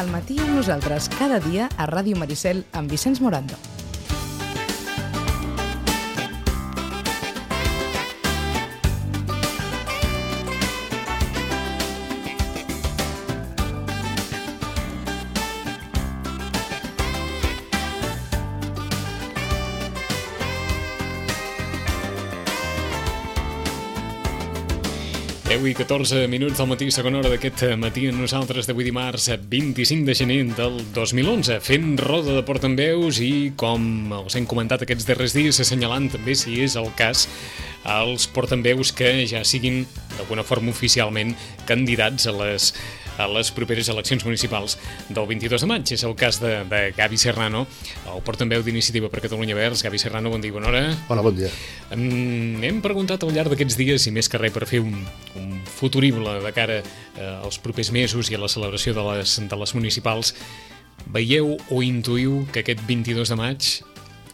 Al matí amb nosaltres, cada dia a Ràdio Maricel amb Vicenç Morando. I 14 minuts del matí, segona hora d'aquest matí amb nosaltres d'avui dimarts 25 de gener del 2011, fent roda de portaveus i, com els hem comentat aquests darrers dies, assenyalant també, si és el cas, els portaveus que ja siguin d'alguna forma oficialment candidats a les properes eleccions municipals del 22 de maig. És el cas de Gavi Serrano, el portaveu d'Iniciativa per Catalunya Verds. Gavi Serrano, bon dia, bona hora. Hola, bon dia. Hem preguntat al llarg d'aquests dies, i més que res per fer un futurible de cara als propers mesos i a la celebració de les municipals, veieu o intuïu que aquest 22 de maig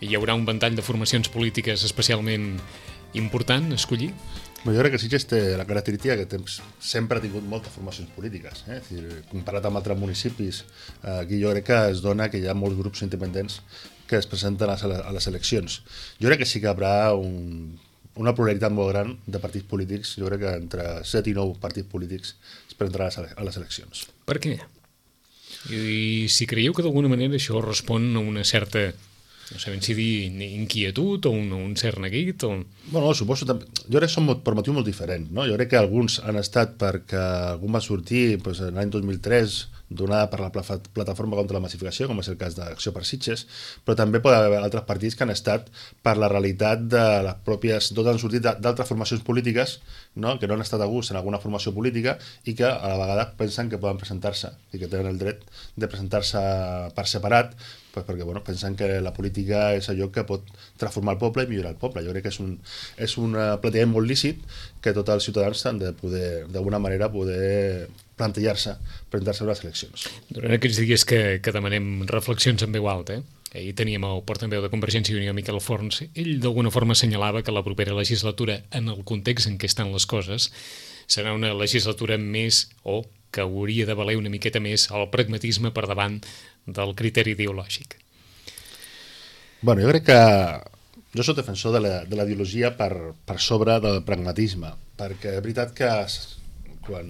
hi haurà un ventall de formacions polítiques especialment important a escollir? Jo crec que Sitges té la característica que sempre ha tingut moltes formacions polítiques. És dir, comparat amb altres municipis, aquí jo crec que es dona que hi ha molts grups independents que es presenten a les eleccions. Jo crec que sí que hi haurà una pluralitat molt gran de partits polítics. Jo crec que entre 7 i 9 partits polítics es presentaran a les eleccions. Per què? I si creieu que d'alguna manera això respon a una certa, no sé ben si dir, inquietud o un cert neguit? Bueno, suposo també. Jo crec que són per motius molt diferents, no? Jo crec que alguns han estat perquè algun va sortir l'any 2003 donada per la plataforma contra la massificació, com és el cas d'Acció per Sitges, però també pot haver altres partits que han estat per la realitat de les pròpies, tots han sortit d'altres formacions polítiques, no? Que no han estat a gust en alguna formació política i que a la vegada pensen que poden presentar-se i que tenen el dret de presentar-se per separat, perquè pensen que la política és allò que pot transformar el poble i millorar el poble. Jo crec que és un plantejament molt lícit que tots els ciutadans han de poder, d'alguna manera, poder plantejar-se, presentar-se a les eleccions. Durant aquests dies que demanem reflexions en veu alta, ahir teníem el portaveu de Convergència i Unió, Miquel Forns. Ell d'alguna forma assenyalava que la propera legislatura, en el context en què estan les coses, serà una legislatura més, o que hauria de valer una miqueta més el pragmatisme per davant del criteri ideològic. Bueno, jo crec que jo soc defensor de la ideologia per sobre del pragmatisme, perquè és veritat que quan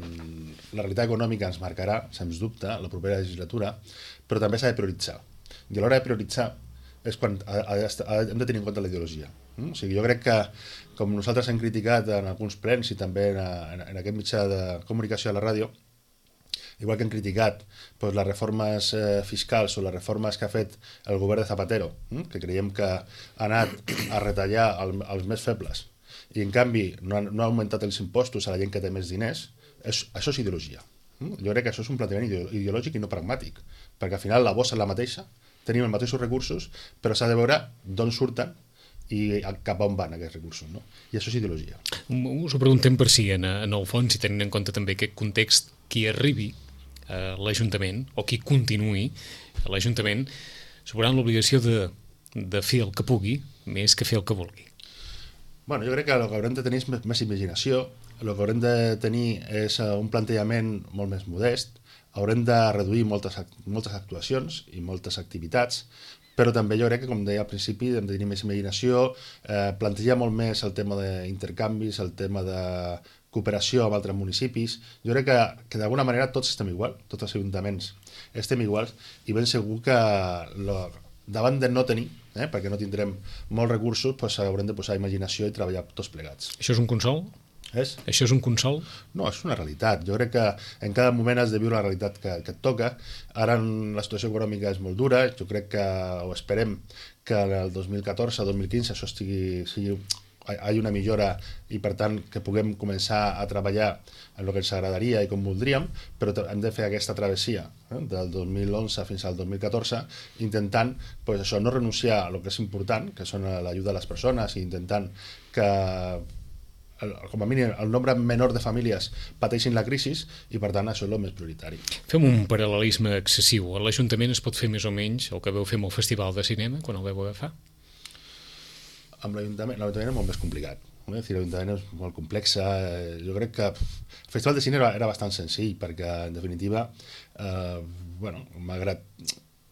la realitat econòmica ens marcarà, sens dubte, la propera legislatura, però també s'ha de prioritzar. I a l'hora de prioritzar és quan hem de tenir en compte la ideologia. O sigui, jo crec que, com nosaltres hem criticat en alguns plens i també en aquest mitjà de comunicació a la ràdio, igual que hem criticat les reformes fiscals o les reformes que ha fet el govern de Zapatero, que creiem que ha anat a retallar els més febles i en canvi no ha augmentat els impostos a la gent que té més diners, això és ideologia. Jo crec que això és un plantejament ideològic i no pragmàtic, perquè al final la bossa és la mateixa, tenim els mateixos recursos, però s'ha de veure d'on surten i cap on van aquests recursos, no? I això és ideologia. Us ho preguntem per si, en el fons, i tenint en compte també aquest context, qui arribi a l'Ajuntament, o qui continuï a l'Ajuntament, s'hauran l'obligació de fer el que pugui, més que fer el que vulgui. Bueno, jo crec que el que haurem de tenir és més imaginació, el que haurem de tenir és un plantejament molt més modest, haurem de reduir moltes actuacions i moltes activitats, però també jo crec que, com deia al principi, hem de tenir més imaginació, plantejar molt més el tema d'intercanvis, el tema de cooperació amb altres municipis. Jo crec que d'alguna manera tots estem igual, tots els ajuntaments estem iguals, i ben segur que davant de no tenir, perquè no tindrem molts recursos, haurem de posar imaginació i treballar tots plegats. Això és un consol? Això és un consol? No, és una realitat. Jo crec que en cada moment has de viure la realitat que et toca. Ara la situació econòmica és molt dura. Jo crec que, o esperem, que el 2014 o 2015 això hi hagi una millora i, per tant, que puguem començar a treballar en el que ens agradaria i com voldríem, però hem de fer aquesta travessia del 2011 fins al 2014 intentant això, no renunciar a el que és important, que són l'ajuda a les persones, i intentant que com a mínim el nombre menor de famílies pateixin la crisi, i per tant això és el més prioritari. Fem un paral·lelisme excessiu. A l'Ajuntament es pot fer més o menys el que veu fer amb el Festival de Cinema quan el veu agafar? Amb l'Ajuntament és molt més complicat. L'Ajuntament és molt complexa. Jo crec que el Festival de Cinema era bastant senzill, perquè en definitiva bueno, malgrat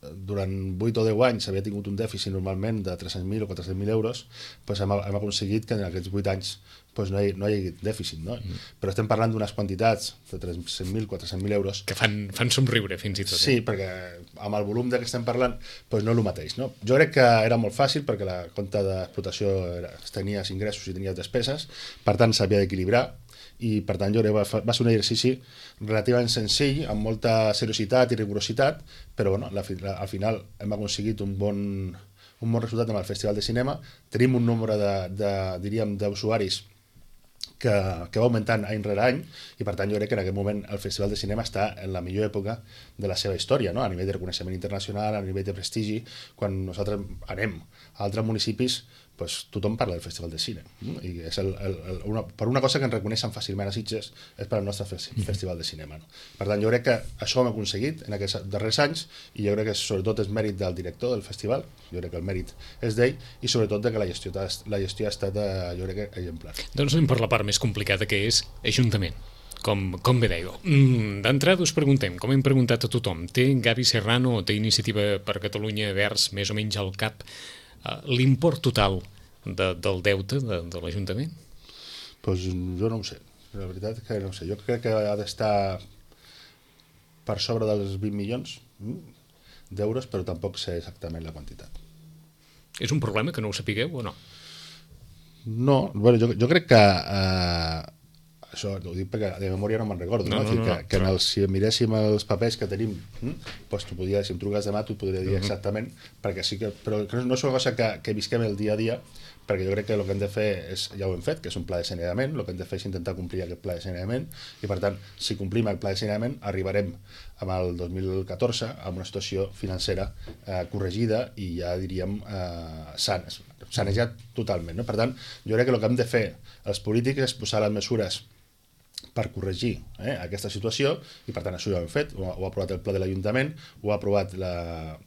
durant 8 o 10 anys havia tingut un dèficit normalment de 300.000 o 400.000 euros, doncs hem aconseguit que en aquests 8 anys doncs no hi hagi dèficit, no? Però estem parlant d'unes quantitats de 300.000, 400.000 euros que fan somriure fins i tot. Sí, perquè amb el volum de què estem parlant doncs no és el mateix, no? Jo crec que era molt fàcil perquè la compte d'explotació tenies ingressos i tenies despeses, per tant s'havia d'equilibrar, i per tant jo crec que va ser un exercici relativament senzill, amb molta seriositat i rigorositat, però bueno, al final hem aconseguit un bon resultat amb el Festival de Cinema. Tenim un nombre d'usuaris que va augmentant any rere any, i per tant jo crec que en aquest moment el Festival de Cinema està en la millor època de la seva història, no? A nivell de reconeixement internacional, a nivell de prestigi. Quan nosaltres anem a altres municipis, pues, tothom parla del Festival de Cine, i és per una cosa que ens reconeixen fàcilment a Sitges és per al nostre Festival de Cinema, no? Per tant jo crec que això ho hem aconseguit en aquests darrers anys, i jo crec que sobretot és mèrit del director del festival, jo crec que el mèrit és d'ell, i sobretot de que la gestió ha estat jo crec que exemplar. Doncs anem per la part més complicada, que és Ajuntament. Com bé dèieu. D'entrada us preguntem, com hem preguntat a tothom, té Gavi Serrano o té Iniciativa per Catalunya Verds més o menys al cap l'import total del deute de l'Ajuntament? Doncs jo no ho sé, la veritat que no ho sé. Jo crec que ha d'estar per sobre dels 20 milions d'euros, però tampoc sé exactament la quantitat. És un problema que no ho sapigueu o no? No, bueno, jo crec que això ho dic perquè de memòria no me'n recordo, si miréssim els papers que tenim, doncs tu podries, si em truques demà t'ho podria dir exactament, perquè sí que, però no és una cosa que visquem el dia a dia, perquè jo crec que el que hem de fer és, ja ho hem fet, que és un pla de saneament, el que hem de fer és intentar complir aquest pla de saneament, i per tant, si complim el pla de saneament, arribarem amb el 2014 amb una situació financera corregida i ja diríem sanejat totalment, no? Per tant, jo crec que el que hem de fer els polítics és posar les mesures per corregir aquesta situació, i per tant això ja ho hem fet, ho ha aprovat el Pla de l'Ajuntament, ho ha aprovat la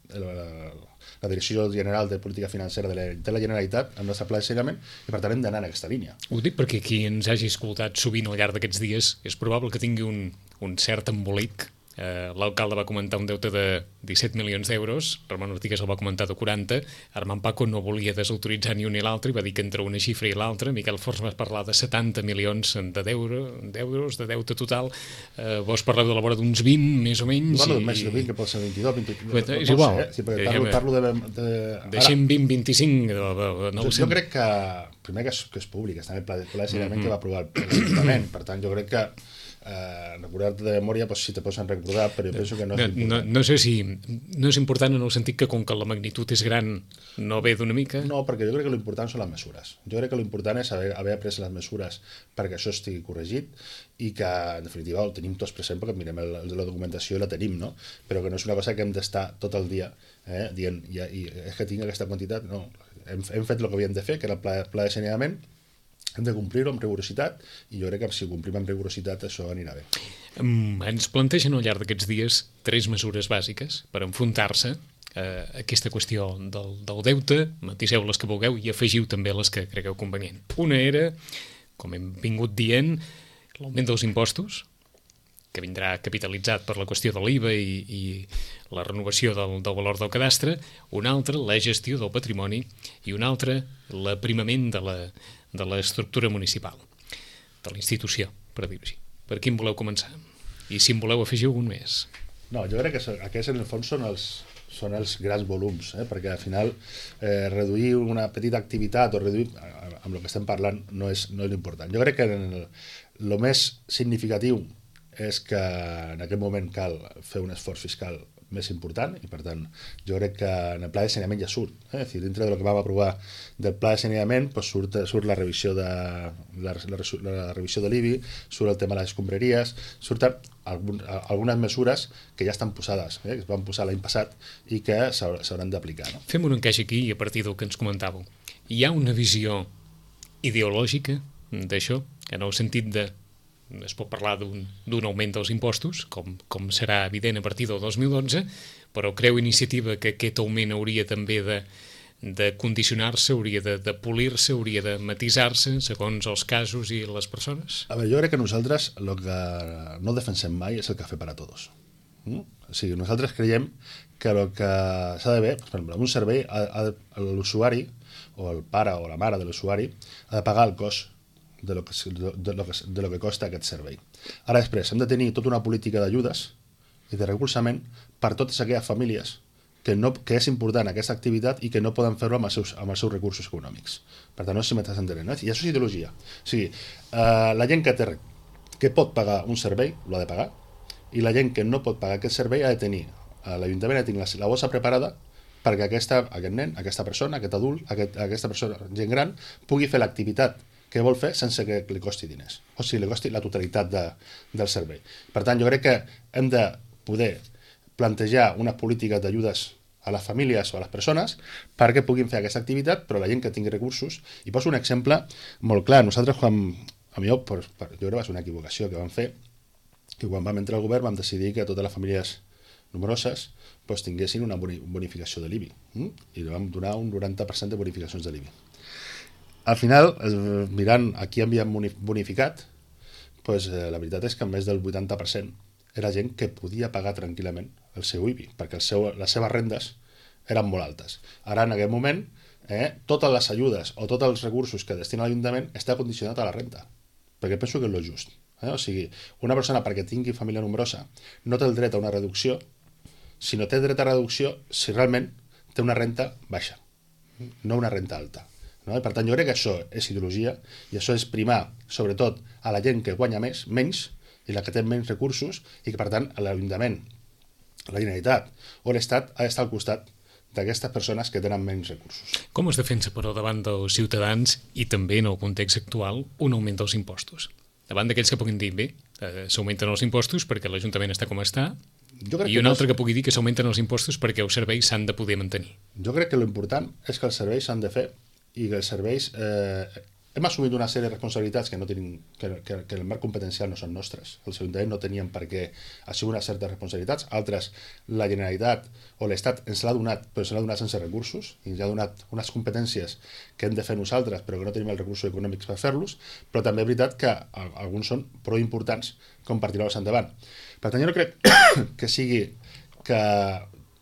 Direcció General de Política Financera de la Generalitat, el nostre pla de saneament, i per tant hem d'anar en aquesta línia. Ho dic perquè qui ens hagi escoltat sovint al llarg d'aquests dies és probable que tingui un cert embolic. L'alcalde va comentar un deute de 17 milions d'euros, Ramon Ortigues el va comentar de 40, Armand Paco no volia desautoritzar ni un ni l'altre i va dir que entre una xifra i l'altra, Miquel Forns va parlar de 70 milions d'euros de deute total, vos parleu de la vora d'uns 20, més o menys. Bueno, més de 20, que pot ser 22, 23... És igual. Sí, perquè parlo de... Deixem 20, 25, no ho sé. Jo crec que, primer que és públic, està en el pla de saneament que va aprovar l'Ajuntament, per tant jo crec que recordar-te de memòria, si te posen recordar, però jo penso que no és important. No sé si no és important en el sentit que com que la magnitud és gran no ve d'una mica? No, perquè jo crec que l'important són les mesures. Jo crec que l'important és haver pres les mesures perquè això estigui corregit, i que en definitiva ho tenim tots present perquè mirem la documentació i la tenim, no? Però que no és una cosa que hem d'estar tot el dia dient, i és que tinc aquesta quantitat. No, hem fet el que havíem de fer, que era el pla de saneament. Hem de complir-ho amb rigorositat, i jo crec que si ho complim amb rigorositat això anirà bé. Ens plantegen al llarg d'aquests dies 3 mesures bàsiques per enfrontar-se a aquesta qüestió del deute. Matiseu les que vulgueu i afegiu també les que cregueu convenient. Una era, com hem vingut dient, l'augment dels impostos, que vindrà capitalitzat per la qüestió de l'IVA i la renovació del valor del cadastre. Una altra, la gestió del patrimoni, i una altra, l'aprimament de l'estructura municipal, de la institució, per dir-ho així. Per quin voleu començar? I si en voleu afegir algun més? No, jo crec que aquests en el fons són els grans volums, perquè al final reduir una petita activitat o reduir amb el que estem parlant no és l'important. Jo crec que el més significatiu és que en aquest moment cal fer un esforç fiscal més important, i per tant jo crec que en el pla de saneament ja surt, és a dir, dintre del que vam aprovar del pla de saneament surt la revisió de l'IBI, surt el tema de les escombraries, surten algunes mesures que ja estan posades, que es van posar l'any passat i que s'hauran d'aplicar, no? Fem un encaix aquí a partir del que ens comentàveu. Hi ha una visió ideològica d'això, en el sentit de es pot parlar d'un augment dels impostos, com serà evident a partir del 2012, però creu Iniciativa que aquest augment hauria també de condicionar-se, hauria de polir-se, hauria de matisar-se segons els casos i les persones? A veure, jo crec que nosaltres el que no defensem mai és el cafè per a tots. O sigui, nosaltres creiem que el que s'ha de fer, per exemple, un servei, l'usuari, o el pare o la mare de l'usuari, ha de pagar el cost de lo que costa aquest servei. Ara després, hem de tenir tota una política d'ajudes i de recolzament per totes aquelles famílies que és important aquesta activitat i que no poden fer-ho amb els seus recursos econòmics. Per tant, no sé si m'estàs entenent. I això és ideologia. O sigui, la gent que pot pagar un servei, l'ha de pagar, i la gent que no pot pagar aquest servei ha de tenir, l'Ajuntament ha de tenir la bossa preparada perquè aquest nen, aquesta persona, aquest adult, aquesta persona, gent gran, pugui fer l'activitat que vol fer sense que li costi diners, o sigui, li costi la totalitat del servei. Per tant, jo crec que hem de poder plantejar una política d'ajudes a les famílies o a les persones perquè puguin fer aquesta activitat, però la gent que tingui recursos. I poso un exemple molt clar. Nosaltres, jo crec que va ser una equivocació que vam fer, que quan vam entrar al govern vam decidir que totes les famílies nombroses tinguessin una bonificació de l'IBI, i vam donar un 90% de bonificacions de l'IBI. Al final, mirant a qui havíem bonificat, la veritat és que més del 80% era gent que podia pagar tranquil·lament el seu IBI, perquè les seves rendes eren molt altes. Ara, en aquest moment, totes les ajudes o tots els recursos que destina l'Ajuntament està condicionat a la renta, perquè penso que és el just. O sigui, una persona perquè tingui família nombrosa no té el dret a una reducció, sinó té dret a reducció si realment té una renta baixa, no una renta alta. I per tant, jo crec que això és ideologia i això és primar, sobretot, a la gent que guanya menys i la que té menys recursos, i que, per tant, l'Ajuntament, la Generalitat o l'Estat ha d'estar al costat d'aquestes persones que tenen menys recursos. Com es defensa, però, davant dels ciutadans i també en el context actual un augment dels impostos? Davant d'aquells que puguin dir, bé, s'augmenten els impostos perquè l'Ajuntament està com està, i un altre que pugui dir que s'augmenten els impostos perquè els serveis s'han de poder mantenir. Jo crec que l'important és que els serveis s'han de fer i que els serveis... Hem assumit una sèrie de responsabilitats que el marc competencial no són nostres. Els ajuntaments no tenien per què assumir unes certes responsabilitats. Altres, la Generalitat o l'Estat ens l'ha donat, però ens l'ha donat sense recursos, i ens ha donat unes competències que hem de fer nosaltres, però que no tenim els recursos econòmics per fer-los, però també és veritat que alguns són prou importants com per tirar-los endavant. Per tant, jo no crec que sigui que...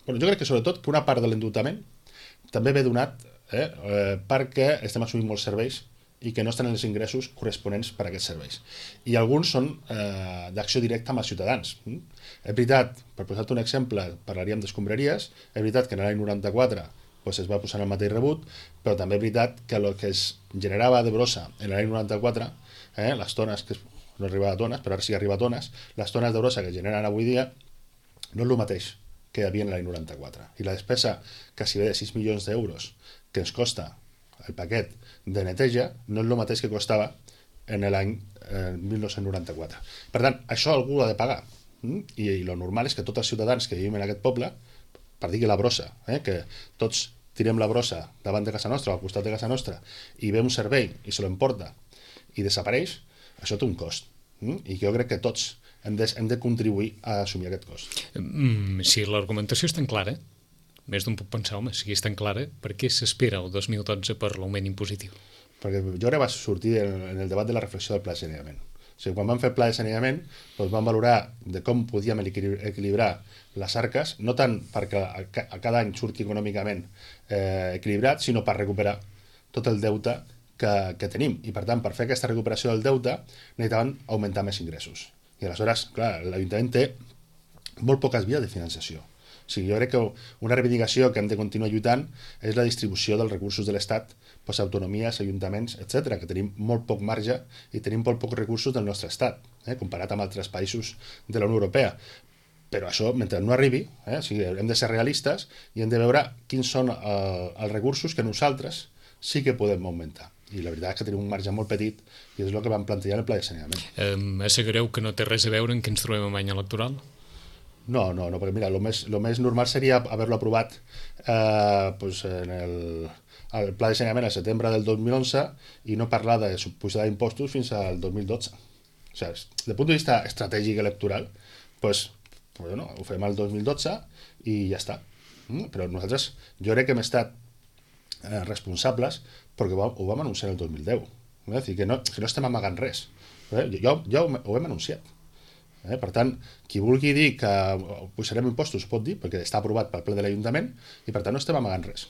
jo crec que sobretot que una part de l'endeutament també ve donat perquè estem assumint molts serveis i que no estan els ingressos corresponents per a aquests serveis. I alguns són d'acció directa amb els ciutadans. És veritat, per posar-te un exemple, parlaríem d'escombraries, és veritat que en l'any 94 es va posar el mateix rebut, però també és veritat que el que es generava de brossa en l'any 94, les tones, que no arribava a tones, però ara sí que arriba a tones, les tones de brossa que generen avui dia no és el mateix que hi havia en l'any 94. I la despesa que si ve de 6 milions d'euros que ens costa el paquet de neteja no és el mateix que costava en l'any 1994. Per tant, això algú ha de pagar. I el normal és que tots els ciutadans que vivim en aquest poble, per dir que la brossa, que tots tirem la brossa davant de casa nostra o al costat de casa nostra i ve un servei i se l'emporta i desapareix, això té un cost. I jo crec que tots hem de contribuir a assumir aquest cost. Si l'argumentació és tan clara, més d'un puc pensar, home, si és tan clara, per què s'espera el 2012 per l'augment impositiu? Perquè jo ara vaig sortir en el debat de la reflexió del pla de saneament. O sigui, quan vam fer el pla de saneament, vam valorar de com podíem equilibrar les arques, no tant perquè a cada any surti econòmicament equilibrat, sinó per recuperar tot el deute que tenim. I, per tant, per fer aquesta recuperació del deute, necessitaven augmentar més ingressos. I aleshores, clar, l'Ajuntament té molt poques vies de financiació. O sigui, jo crec que una reivindicació que hem de continuar lluitant és la distribució dels recursos de l'Estat, autonomies, ajuntaments, etc., que tenim molt poc marge i tenim molt pocs recursos del nostre estat, comparat amb altres països de la Unió Europea. Però això, mentre no arribi, o sigui, hem de ser realistes i hem de veure quins són els recursos que nosaltres sí que podem augmentar. I la veritat és que tenim un marge molt petit i és el que vam plantejar en el pla de saneament. Assegureu que no té res a veure en què ens trobem en any electoral? No, perquè mira, el més normal seria haver-lo aprovat en el pla de saneament al setembre del 2011 i no parlar de pujada d'impostos fins al 2012. O sigui, des del punt de vista estratègic electoral, ho fem al 2012 i ja està. Però nosaltres, jo crec que hem estat responsables perquè ho vam anunciar el 2010. És a dir, que no estem amagant res. Ja ho hem anunciat. Per tant, qui vulgui dir que pujarem impostos pot dir, perquè està aprovat pel ple de l'Ajuntament i per tant no estem amagant res.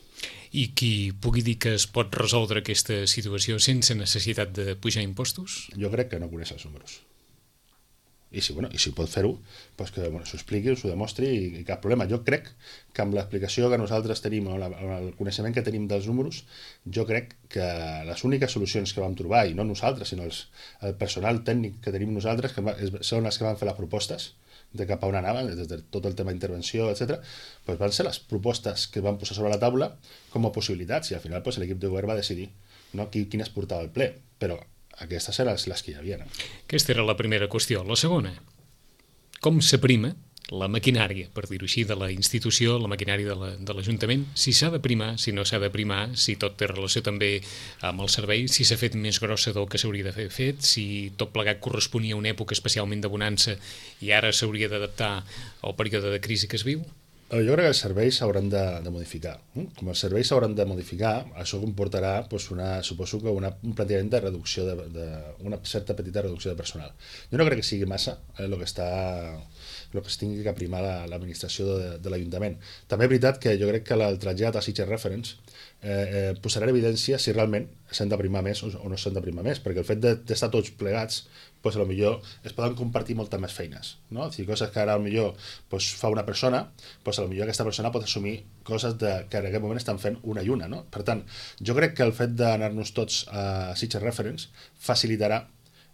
I qui pugui dir que es pot resoldre aquesta situació sense necessitat de pujar impostos? Jo crec que no coneix els números. I si pot fer-ho, doncs que s'ho expliqui, s'ho demostri i cap problema. Jo crec que amb l'explicació que nosaltres tenim, amb el coneixement que tenim dels números, jo crec que les úniques solucions que vam trobar, i no nosaltres, sinó el personal tècnic que tenim nosaltres, que són els que van fer les propostes de cap a on anaven, des de tot el tema d'intervenció, etc., doncs van ser les propostes que van posar sobre la taula com a possibilitats, i al final l'equip de govern va decidir quines portava al ple, però aquestes eren les que hi havia. Aquesta era la primera qüestió. La segona, com s'aprima la maquinària, per dir-ho així, de la institució, la maquinària de l'Ajuntament, si s'ha de primar, si no s'ha de primar, si tot té relació també amb el servei, si s'ha fet més grossa del que s'hauria d'haver fet, si tot plegat corresponia a una època especialment de bonança i ara s'hauria d'adaptar al període de crisi que es viu? Jo crec que els serveis s'hauran de modificar. Com els serveis s'hauran de modificar, això comportarà suposo que un plantejament de reducció una certa petita reducció de personal. Jo no crec que sigui massa el que es tingui que primar l'administració de l'Ajuntament. També és veritat que jo crec que el trasllat a Sitges Reference posarà en evidència si realment s'han de primar més o no s'han de primar més, perquè el fet d'estar tots plegats, doncs potser es poden compartir moltes més feines, no? És a dir, coses que ara potser fa una persona, doncs potser aquesta persona pot assumir coses que en aquest moment estan fent una i una, no? Per tant, jo crec que el fet d'anar-nos tots a Sitges Reference facilitarà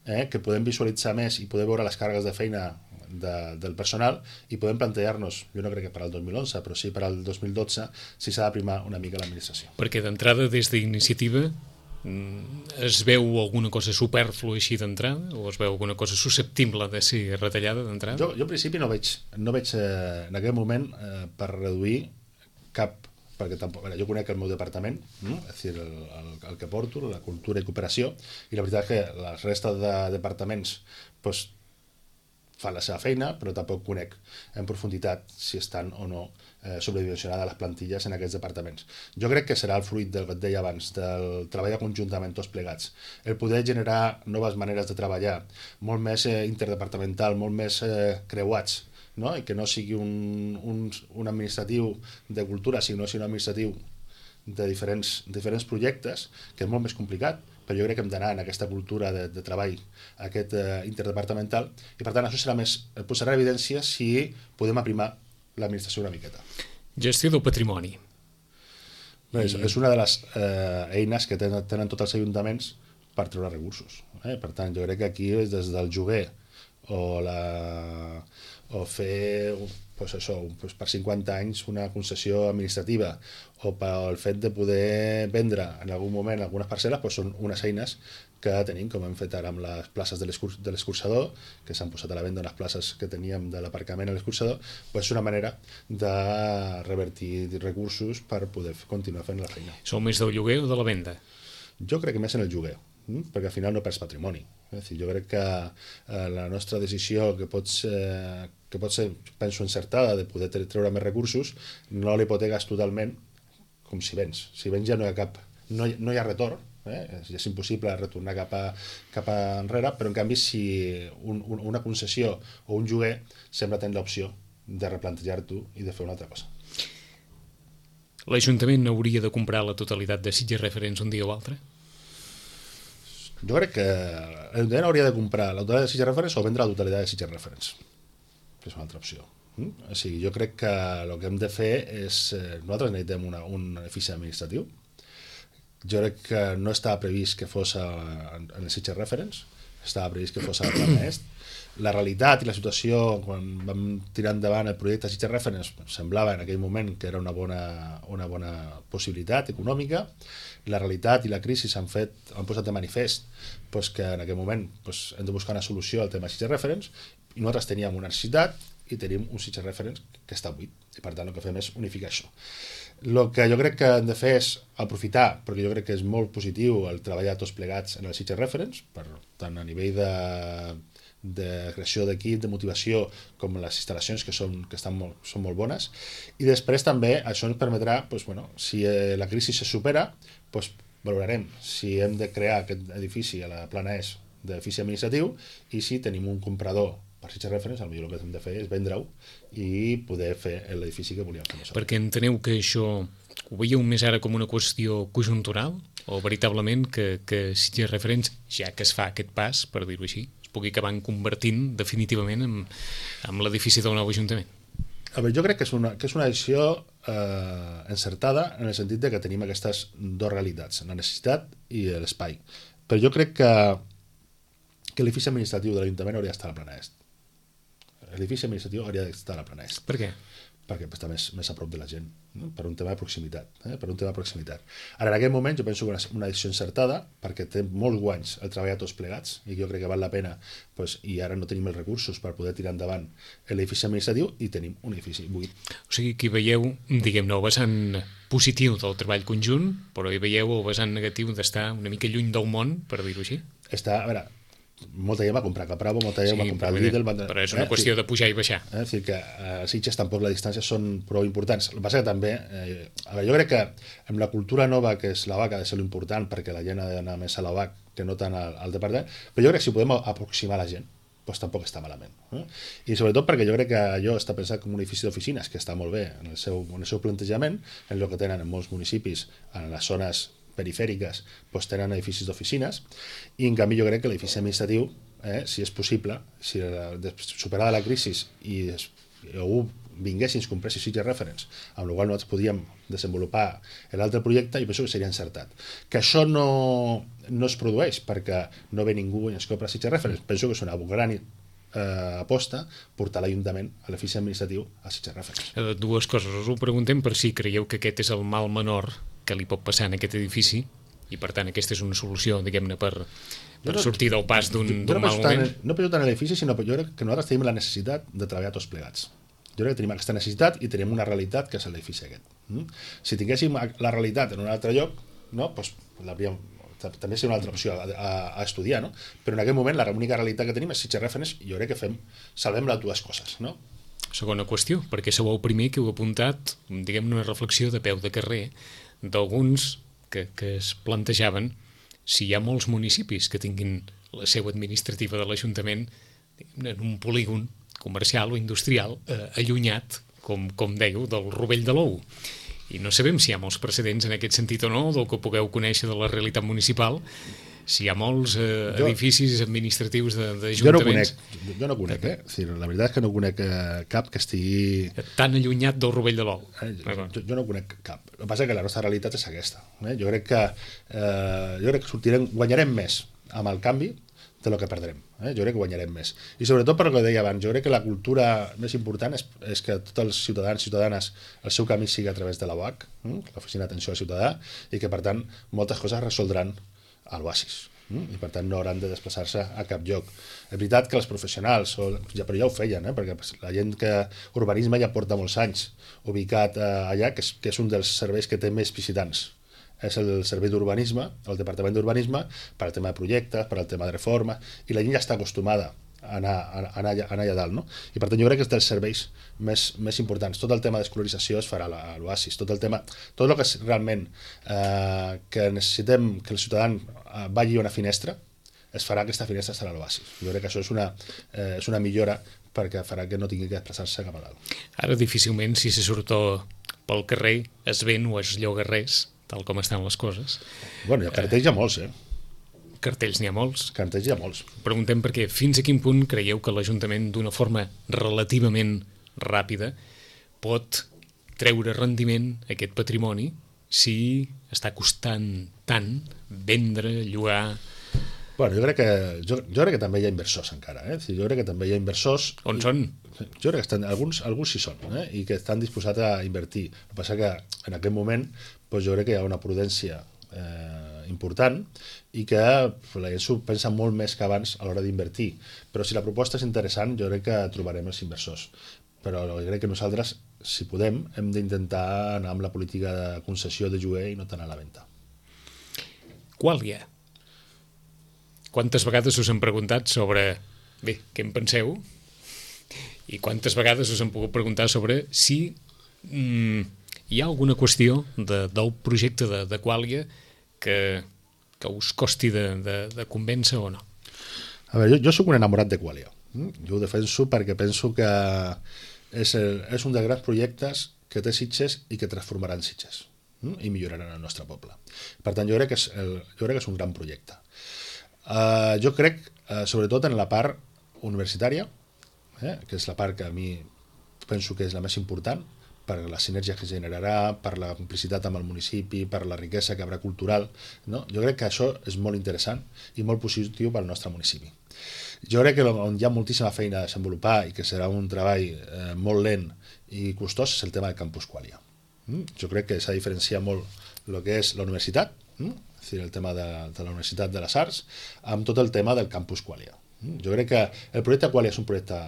que podem visualitzar més i poder veure les càrregues de feina del personal i podem plantejar-nos, jo no crec que per al 2011, però sí per al 2012, si s'ha de primar una mica l'administració. Perquè d'entrada, des d'iniciativa, es veu alguna cosa supèrflua així d'entrada o es veu alguna cosa susceptible de ser retallada d'entrada? Jo en principi no veig en aquest moment per reduir cap, perquè tampoc, jo conec el meu departament, és a dir, el que porto, la cultura i cooperació, i la veritat és que la resta de departaments doncs, fan la seva feina, però tampoc conec en profunditat si estan o no sobredimensionades les plantilles en aquests departaments. Jo crec que serà el fruit del que et deia abans, del treball conjuntament tots plegats, el poder generar noves maneres de treballar, molt més interdepartamental, molt més creuats, no? I que no sigui un administratiu de cultura, sinó un administratiu de diferents projectes, que és molt més complicat, però jo crec que hem d'anar en aquesta cultura de treball, aquest interdepartamental, i per tant això posarà en evidència si podem aprimar l'administració una miqueta. Gestió del patrimoni. És una de les eines que tenen tots els ajuntaments per treure recursos. Per tant, jo crec que aquí és des del lloguer o fer per 50 anys una concessió administrativa o pel fet de poder vendre en algun moment algunes parcel·les, són unes eines que tenim, com hem fet ara amb les places de l'escurçador, que s'han posat a la venda unes places que teníem de l'aparcament a l'escurçador, és una manera de revertir recursos per poder continuar fent la feina. Sou més del lloguer o de la venda? Jo crec que més en el lloguer, perquè al final no perds patrimoni. Jo crec que la nostra decisió, que pot ser, penso, encertada, de poder treure més recursos, no l'hipoteques totalment com si vens. Si vens ja no hi ha retorn, és impossible retornar cap enrere, però en canvi si una concessió o un lloguer sembla tenir l'opció de replantejar-t'ho i de fer una altra cosa. L'Ajuntament hauria de comprar la totalitat de Sitges Reference un dia o altre? Jo crec que l'Ajuntament hauria de comprar la totalitat de Sitges Reference o vendre la totalitat de Sitges Reference, que és una altra opció. O sigui, jo crec que el que hem de fer és... Nosaltres necessitem un edifici administratiu. Jo crec que no estava previst que fos en el Sitges Reference, estava previst que fos a la Plana Est. La realitat i la situació, quan vam tirar endavant el projecte Sitges Reference, semblava en aquell moment que era una bona possibilitat econòmica. La realitat i la crisi han posat de manifest que en aquell moment hem de buscar una solució al tema Sitges Reference, i nosaltres teníem una necessitat i tenim un Sitges Reference que està buit, i per tant el que fem és unificar això. El que jo crec que hem de fer és aprofitar, perquè jo crec que és molt positiu el treballar tots plegats en el Sitges Reference, tant a nivell de creació d'equip, de motivació, com les instal·lacions que són molt bones, i després també això ens permetrà, si la crisi se supera, valorarem si hem de crear aquest edifici a la Plana Est d'edifici administratiu, i si tenim un comprador per Sitges Reference, potser el que hem de fer és vendre-ho i poder fer l'edifici que volíem fer. Perquè enteneu que això ho veieu més ara com una qüestió conjuntural o veritablement que Sitges Reference, ja que es fa aquest pas, per dir-ho així, es pugui acabar convertint definitivament en l'edifici del nou Ajuntament? A veure, jo crec que és una decisió encertada en el sentit de que tenim aquestes dues realitats, la necessitat i l'espai. Però jo crec que l'edifici administratiu de l'Ajuntament hauria d'estar a la plana est. L'edifici administratiu hauria d'estar a la plana est. Per què? Perquè està més a prop de la gent, no? Per un tema de proximitat. Ara, en aquest moment, jo penso que una decisió encertada, perquè té molts guanys el treballar tots plegats, i jo crec que val la pena, i ara no tenim els recursos per poder tirar endavant l'edifici administratiu, i tenim un edifici buit. O sigui, que hi veieu, diguem-ne, el vessant positiu del treball conjunt, però hi veieu el vessant negatiu d'estar una mica lluny del món, per dir-ho així? A veure, molta gent va comprar Capravo, molta gent va comprar el Lidl... Però és una qüestió de pujar i baixar. És dir, que a Sitges tampoc les distàncies són prou importants. El que passa que també... jo crec que amb la cultura nova, que és la VAC, ha de ser l'important, perquè la gent ha d'anar més a la VAC que no tant al departament, però jo crec que si podem aproximar la gent, doncs tampoc està malament. I sobretot perquè jo crec que allò està pensat com un edifici d'oficines, que està molt bé en el seu plantejament, en el que tenen en molts municipis, en les zones perifèriques, doncs tenen edificis d'oficines, i en canvi jo crec que l'edifici administratiu, si és possible, si superada la crisi i algú vingués i ens comprés Sitges Reference, amb la qual nosaltres podíem desenvolupar l'altre projecte, i penso que seria encertat. Que això no es produeix perquè no ve ningú i ens compra Sitges Reference. Penso que és una gran aposta portar l'Ajuntament a l'edifici administratiu a Sitges Reference. Dues coses. Us ho preguntem per si creieu que aquest és el mal menor que li pot passar en aquest edifici i per tant aquesta és una solució, diguem-ne, per sortir del pas d'un mal moment. No penso tant en l'edifici, sinó que jo crec que nosaltres tenim la necessitat de treballar tots plegats. Jo crec que tenim aquesta necessitat i tenim una realitat que és l'edifici aquest. Si tinguéssim la realitat en un altre lloc, no, doncs també seria una altra opció a estudiar, no? Però en aquest moment l'única realitat que tenim és Sitges Reference i jo crec que salvem les dues coses, no? Segona qüestió, perquè sou el primer que heu apuntat, diguem-ne, una reflexió de peu de carrer d'alguns que es plantejaven si hi ha molts municipis que tinguin la seu administrativa de l'Ajuntament en un polígon comercial o industrial allunyat, com dèieu, del rovell de l'ou. I no sabem si hi ha molts precedents en aquest sentit o no, del que pugueu conèixer de la realitat municipal, si hi ha molts edificis administratius d'ajuntaments. Jo no conec, la veritat és que no conec cap que estigui... Tan allunyat del rovell de l'ou. Jo no conec cap. El que passa és que la nostra realitat és aquesta. Jo crec que guanyarem més amb el canvi de lo que perdrem. Jo crec que guanyarem més. I sobretot per el que deia abans, jo crec que la cultura més important és que tots els ciutadans i ciutadanes el seu camí sigui a través de la UAC, l'Oficina d'Atenció al Ciutadà, i que per tant moltes coses es resoldran a l'Oasis i per tant no hauran de desplaçar-se a cap lloc. És veritat que els professionals però ja ho feien, perquè la gent que urbanisme ja porta molts anys ubicat allà, que és un dels serveis que té més visitants, és el servei d'urbanisme, el departament d'urbanisme, per al tema de projectes, per al tema de reforma, i la gent ja està acostumada a anar allà dalt, no? I per tant jo crec que és dels serveis més importants. Tot el tema d'escolarització es farà a l'Oasis, tot el que és realment que necessitem que el ciutadà vagi a una finestra, es farà aquesta finestra estarà a l'Oasis. Jo crec que això és una millora perquè farà que no tingui que desplaçar-se cap a dalt. Ara difícilment, si se surt pel carrer, es ven o es lloga res, tal com estan les coses. Bueno, cartells hi ha molts, Cartells n'hi ha molts. Cartells hi ha molts. Preguntem perquè fins a quin punt creieu que l'Ajuntament, d'una forma relativament ràpida, pot treure rendiment a aquest patrimoni si està costant tant vendre, llogar... Bueno, jo crec que també hi ha inversors encara. Jo crec que també hi ha inversors... On són? Jo crec que alguns sí són, i que estan disposats a invertir. El que passa que en aquest moment jo crec que hi ha una prudència important i que la gent s'ho pensa molt més que abans a l'hora d'invertir. Però si la proposta és interessant, jo crec que trobarem els inversors. Però jo crec que nosaltres, si podem, hem d'intentar anar amb la política de concessió de lloguer i no tant a la venda. Quàlia. Quantes vegades us han preguntat sobre, bé, què en penseu? I quantes vegades us han pogut preguntar sobre si hi ha alguna qüestió del projecte de Quàlia que us costi de convèncer o no? A veure, jo soc un enamorat de Quàlia. Jo ho defenso perquè penso que és un dels grans projectes que té Sitges i que transformaran Sitges i milloraran el nostre poble. Per tant, jo crec que és un gran projecte. Jo crec, sobretot en la part universitària, que és la part que a mi penso que és la més important, per la sinergia que generarà, per la complicitat amb el municipi, per la riquesa que haurà cultural, no? Jo crec que això és molt interessant i molt positiu pel nostre municipi. Jo crec que on hi ha moltíssima feina a desenvolupar i que serà un treball molt lent i costós és el tema del campus Qualia. Jo crec que s'ha de diferenciar molt el que és la universitat, és a dir, el tema de la Universitat de les Arts, amb tot el tema del campus Qualia. Jo crec que el projecte Qualia és un projecte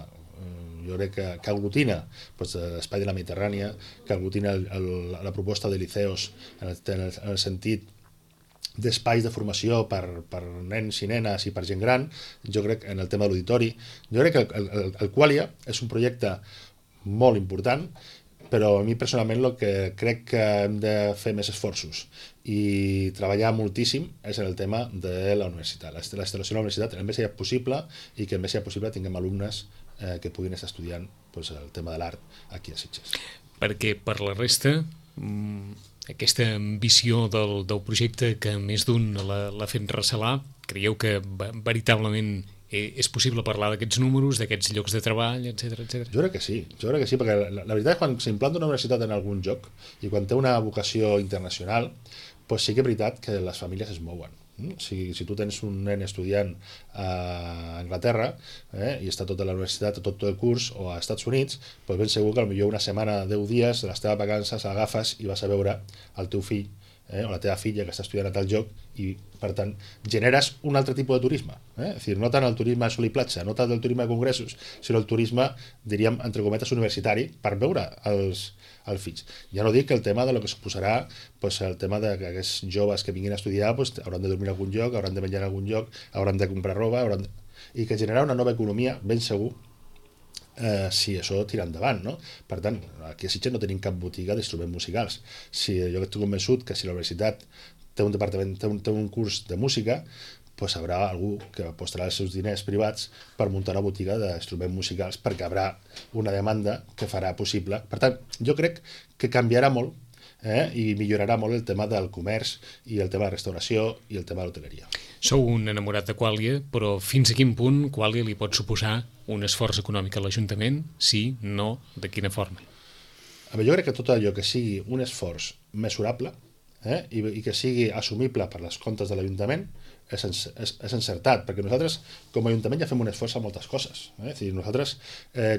que aglutina l'espai de la Mediterrània, que aglutina la proposta de liceos en el sentit d'espais de formació per nens i nenes i per gent gran. Jo crec en el tema de l'auditori. Jo crec que el Qualia és un projecte molt important, però a mi personalment el que crec que hem de fer més esforços i treballar moltíssim és en el tema de la universitat, la instal·lació de la universitat el més aviat possible i que el més aviat possible tinguem alumnes que puguin estar estudiant el tema de l'art aquí a Sitges. Perquè per la resta aquesta ambició del projecte que més d'un l'ha fet recelar, creieu que veritablement és possible parlar d'aquests números, d'aquests llocs de treball, etc. Jo crec que sí, perquè la veritat és que quan s'implanta una universitat en algun lloc i quan té una vocació internacional, doncs sí que és veritat que les famílies es mouen. Si tu tens un nen estudiant a Anglaterra i està tota la universitat, tot el curs, o als Estats Units, doncs ben segur que potser una setmana, 10 dies, de les teves vacances l'agafes i vas a veure el teu fill o la teva filla que està estudiant a tal lloc i, per tant, generes un altre tipus de turisme. És dir, no tant el turisme sol i platja, no tant el turisme de congressos, sinó el turisme, diríem, entre cometes, universitari, per veure els fills. Ja no dic que el tema de lo que suposarà el tema de que aquests joves que vinguin a estudiar hauran de dormir en algun lloc, hauran de menjar en algun lloc, hauran de comprar roba, i que generarà una nova economia, ben segur, si això tira endavant, no? Per tant, aquí a Sitges no tenim cap botiga d'instruments musicals. Jo estic convençut que si la universitat té un departament, té un curs de música, doncs haurà algú que apostarà els seus diners privats per muntar una botiga d'instruments musicals perquè haurà una demanda que farà possible. Per tant, jo crec que canviarà molt i millorarà molt el tema del comerç i el tema de restauració i el tema de l'hoteleria. Sou un enamorat de Qualia, però fins a quin punt Qualia li pot suposar un esforç econòmic a l'Ajuntament? Sí, no, de quina forma? Jo crec que tot allò que sigui un esforç mesurable i que sigui assumible per les comptes de l'Ajuntament és encertat, perquè nosaltres com a Ajuntament ja fem un esforç a moltes coses. És a dir, nosaltres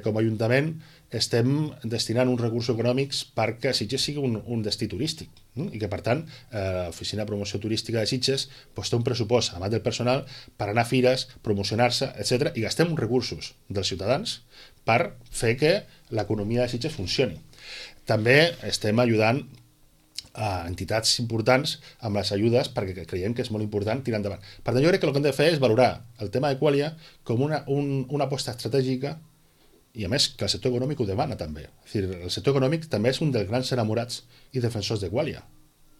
com a Ajuntament estem destinant uns recursos econòmics perquè Sitges sigui un destí turístic i que, per tant, l'Oficina de Promoció Turística de Sitges té un pressupost, a part del personal, per anar a fires, promocionar-se, etc. i gastem uns recursos dels ciutadans per fer que l'economia de Sitges funcioni. També estem ajudant a entitats importants amb les ajudes perquè creiem que és molt important tirar endavant. Per tant, jo crec que el que hem de fer és valorar el tema de Qualia com una aposta estratègica i, a més, que el sector econòmic ho demana també. És dir, el sector econòmic també és un dels grans enamorats i defensors de Qualia.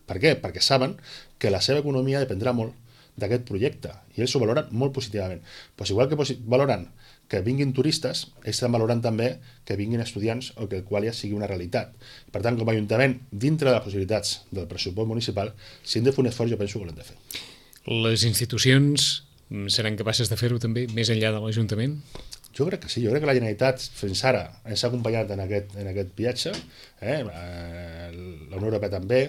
Per què? Perquè saben que la seva economia dependrà molt d'aquest projecte i ells ho valoren molt positivament. Pues igual que valoren que vinguin turistes, ells estan valorant també que vinguin estudiants o que el Qualia sigui una realitat. Per tant, com a Ajuntament, dintre de les possibilitats del pressupost municipal, si hem de fer un esforç, jo penso que l'hem de fer. Les institucions seran capaces de fer-ho també més enllà de l'Ajuntament? Jo crec que sí, jo crec que la Generalitat fins ara ens ha acompanyat en aquest viatge, la Unió Europea també,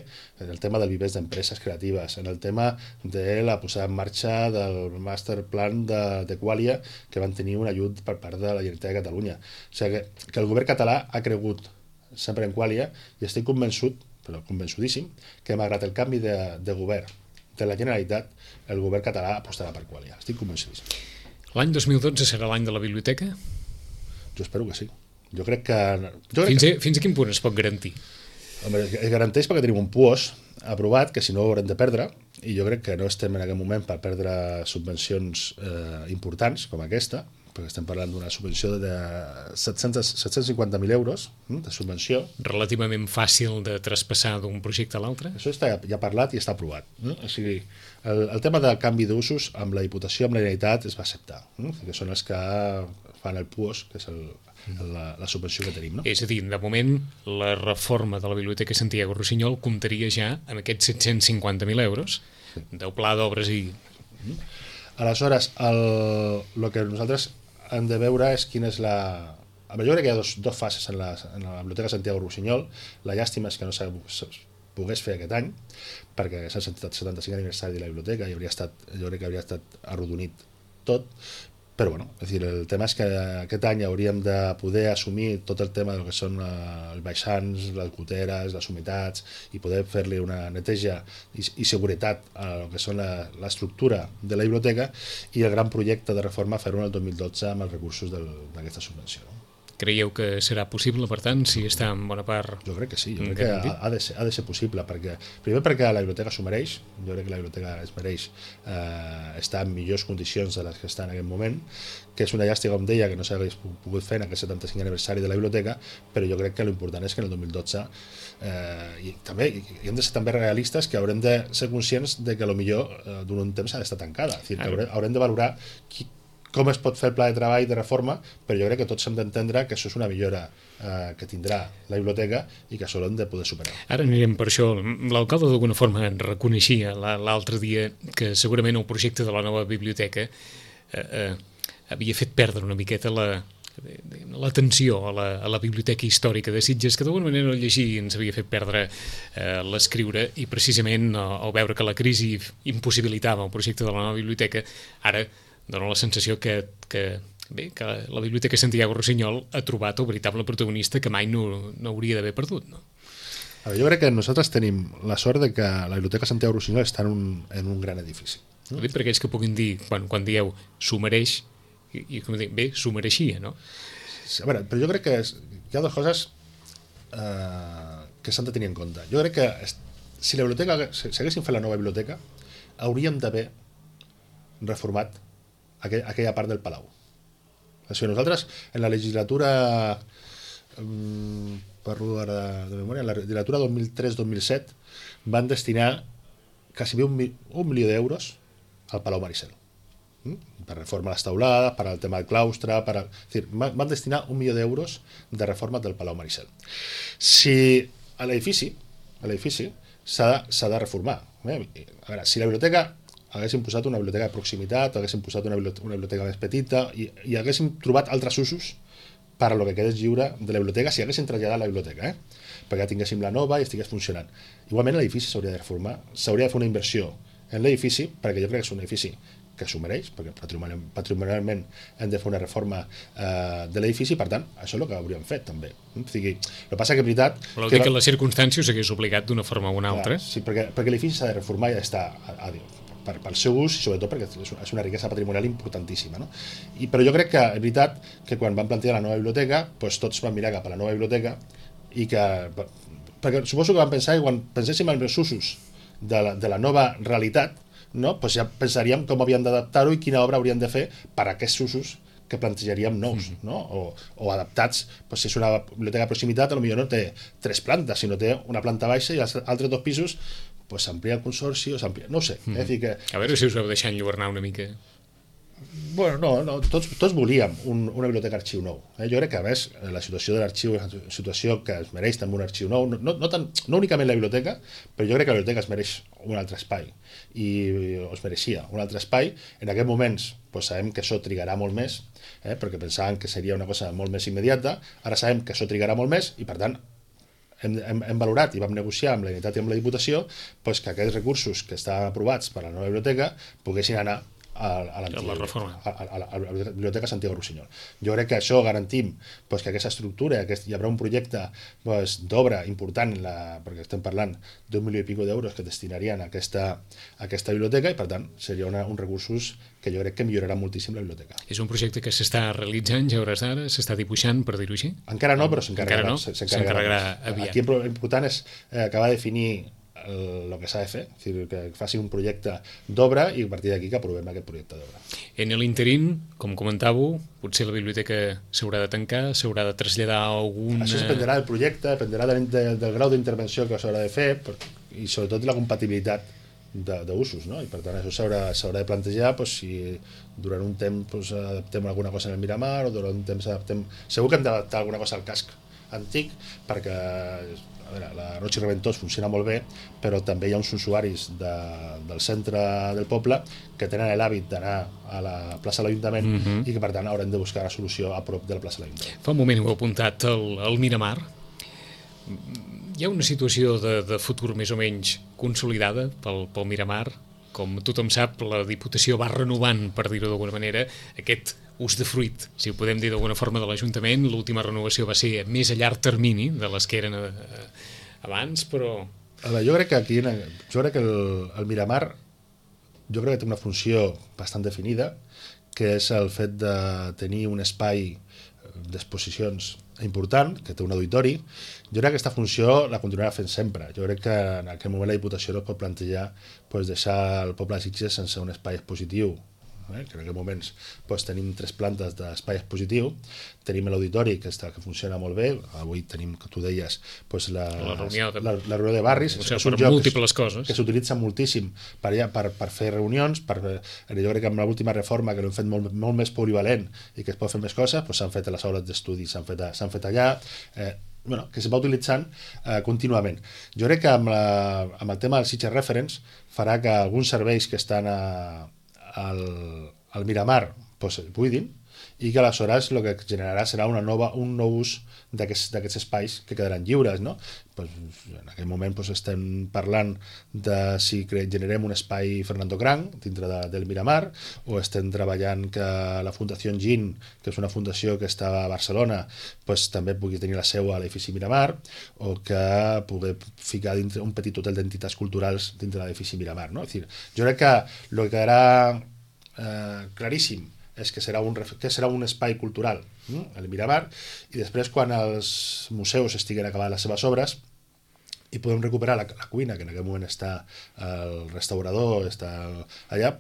en el tema del vivers d'empreses creatives, en el tema de la posada en marxa del master plan de Qualia, que van tenir un ajut per part de la Generalitat de Catalunya. O sigui que el govern català ha cregut sempre en Qualia i estic convençut, però convençudíssim, que malgrat el canvi de govern de la Generalitat, el govern català apostarà per Qualia. Estic convençudíssim. L'any 2012 serà l'any de la biblioteca? Jo espero que sí. Jo crec que... Fins a quin punt es pot garantir? Home, es garanteix perquè tenim un PUOS aprovat, que si no ho haurem de perdre, i jo crec que no estem en aquest moment per perdre subvencions importants com aquesta, perquè estem parlant d'una subvenció de 750.000 euros de subvenció. Relativament fàcil de traspassar d'un projecte a l'altre? Això està ja parlat i està aprovat. O sigui, el tema del canvi d'usos amb la Diputació, amb la Generalitat, es va acceptar, que són els que fan el PUOS, que és la subvenció que tenim. No? És a dir, de moment, la reforma de la Biblioteca Santiago Rossinyol comptaria ja amb aquests 750.000 euros del pla d'obres i... Aleshores, el que nosaltres hem de veure és quina és la... A veure, jo crec que hi ha dos fases en la Biblioteca Santiago Rossinyol. La llàstima és que no se pogués fer aquest any, perquè és el 75 aniversari de la biblioteca i jo crec que hauria estat arrodonit tot, però bueno, és dir, el tema és que aquest any hauríem de poder assumir tot el tema del que són els baixants, les goteres, les humitats, i poder fer-li una neteja i seguretat a el que són l'estructura de la biblioteca, i el gran projecte de reforma fer-ho el 2012 amb els recursos d'aquesta subvenció. Creieu que serà possible, per tant, si està en bona part? Jo crec que sí, jo crec que ha de ser possible, primer perquè la biblioteca s'ho mereix, jo crec que la biblioteca es mereix estar en millors condicions de les que està en aquest moment, que és una llàstima, com deia, que no s'hagués pogut fer en aquest 75 aniversari de la biblioteca, però jo crec que l'important és que en el 2012 i hem de ser també realistes, que haurem de ser conscients de que potser durant un temps ha d'estar tancada, és a dir, que haurem de valorar com es pot fer el pla de treball de reforma, però jo crec que tots hem d'entendre que això és una millora que tindrà la biblioteca i que això l'hem de poder superar. Ara anirem per això. L'alcalde d'alguna forma reconeixia l'altre dia que segurament el projecte de la nova biblioteca havia fet perdre una miqueta l'atenció a la biblioteca històrica de Sitges, que d'alguna manera el llegir ens havia fet perdre l'escriure, i precisament al veure que la crisi impossibilitava el projecte de la nova biblioteca, ara dona la sensació que la Biblioteca Santiago Rossinyol ha trobat el veritable protagonista que mai no hauria d'haver perdut, no? Jo crec que nosaltres tenim la sort de que la Biblioteca Santiago Rossinyol està en un gran edifici. Ho dic per aquells que puguin dir, quan dieu s'ho mereix, i com dic, bé, s'ho mereixia, no? A veure, però jo crec que hi ha dues coses que s'han de tenir en compte. Jo crec que si haguéssim fet la nova biblioteca, hauríem d'haver reformat aquella part del Palau. O sigui, nosaltres en la legislatura parlo ara de memòria, en la legislatura 2003-2007 van destinar quasi un milió d'euros al Palau Maricel, per reforma les taulades, per al tema del claustre, és dir, van destinar 1 milió d'euros de reforma del Palau Maricel. Si a l'edifici s'ha de reformar, a veure, si la biblioteca haguéssim posat una biblioteca de proximitat, haguéssim posat una biblioteca més petita i haguéssim trobat altres usos per a lo que quedés lliure de la biblioteca, si haguéssim traslladat la biblioteca, perquè tinguéssim la nova i estigués funcionant. Igualment l'edifici s'hauria de reformar, s'hauria de fer una inversió en l'edifici, perquè jo crec que és un edifici que s'ho mereix, perquè patrimonialment hem de fer una reforma de l'edifici, per tant, això és el que hauríem fet també. O sigui, el que passa que és veritat... Vol dir que en les circumstàncies s'hagués obligat d'una forma o una altra? Sí, perquè l'edifici s'ha de reformar i ha d'estar pel seu ús, i sobretot perquè és una riquesa patrimonial importantíssima, no? Però jo crec que és veritat que quan van plantejar la nova biblioteca, doncs tots van mirar cap a la nova biblioteca, i perquè suposo que van pensar que quan penséssim en els usos de la nova realitat, no? Doncs ja pensaríem com havíem d'adaptar-ho i quina obra hauríem de fer per a aquests usos que plantejaríem nous, no? O adaptats, doncs si és una biblioteca de proximitat, potser no té 3 plantes, sinó té una planta baixa i els altres 2 pisos pues s'amplia el consorci o s'amplia... No ho sé. És dir que... A veure si us heu deixat enlluernar una mica. Bueno, no, tots volíem una biblioteca arxiu nou. Jo crec que, a més, la situació de l'arxiu és una situació que es mereix també un arxiu nou, no únicament la biblioteca, però jo crec que la biblioteca es mereix un altre espai, i es mereixia un altre espai. En aquests moments doncs sabem que això trigarà molt més, perquè pensàvem que seria una cosa molt més immediata, ara sabem que això trigarà molt més, i per tant hem valorat i vam negociar amb la Generalitat i amb la Diputació doncs que aquests recursos que estaven aprovats per a la nova biblioteca poguessin anar a la Biblioteca Santiago Rossinyol. Jo crec que això garantim que aquesta estructura, hi haurà un projecte d'obra important, perquè estem parlant d'1 milió i escaig d'euros que destinarien a aquesta biblioteca, i per tant seria uns recursos que jo crec que millorarà moltíssim la biblioteca. És un projecte que s'està realitzant ja a hores d'ara, s'està dibuixant, per dir-ho així? Encara no, però s'encarregarà aviat. Aquí l'important és acabar de definir el que s'ha de fer, és dir, que faci un projecte d'obra i a partir d'aquí que aprovem aquest projecte d'obra. En l'interín, com comentàveu, potser la biblioteca s'haurà de tancar, s'haurà de traslladar a algun... Això dependrà del projecte, dependrà del grau d'intervenció que s'haurà de fer i sobretot de la compatibilitat d'usos, no? I per tant això s'haurà de plantejar si durant un temps adaptem alguna cosa en el Miramar o durant un temps adaptem... Segur que hem d'adaptar alguna cosa al casc antic perquè a veure, la Roig i Reventós funciona molt bé, però també hi ha uns usuaris del centre del poble que tenen l'hàbit d'anar a la plaça de l'Ajuntament i que per tant haurem de buscar una solució a prop de la plaça de l'Ajuntament. Fa un moment ho he apuntat, el Miramar. Hi ha una situació de futur més o menys consolidada pel Miramar. Com tothom sap, la Diputació va renovant, per dir-ho d'alguna manera, aquest ús de fruit, si ho podem dir d'alguna forma, de l'Ajuntament. L'última renovació va ser més a llarg termini de les que eren abans, però... A veure, jo crec que el Miramar que té una funció bastant definida, que és el fet de tenir un espai d'exposicions important, que té un auditori. Jo crec que aquesta funció la continuarà fent sempre. Jo crec que en aquell moment la Diputació no pot plantejar deixar el poble de Sitges sense un espai expositiu, que en aquest moment tenim 3 plantes d'espai expositiu, tenim l'auditori que funciona molt bé, avui tenim, que tu deies, la reunió de barris, és un lloc que s'utilitza moltíssim per fer reunions, jo crec que amb l'última reforma que l'hem fet molt més polivalent i que es pot fer més coses, s'han fet a les aules d'estudi, s'han fet allà, que es va utilitzant contínuament. Jo crec que amb el tema del Sitges Reference farà que alguns serveis que estan al Miramar buidin i que aleshores el que generarà serà un nou ús d'aquests espais que quedaran lliures, no? En aquell moment estem parlant de si generem un espai Fernando Cranc dintre del Miramar, o estem treballant que la Fundació GIN, que és una fundació que està a Barcelona, també pugui tenir la seu a l'edifici Miramar, o que pugui ficar dintre un petit hotel d'entitats culturals dintre l'edifici Miramar, no? És dir, jo crec que el que quedarà claríssim és que serà un espai cultural, el Miramar, i després quan els museus estiguen acabant les seves obres i podem recuperar la cuina, que en aquest moment està el restaurador, està allà,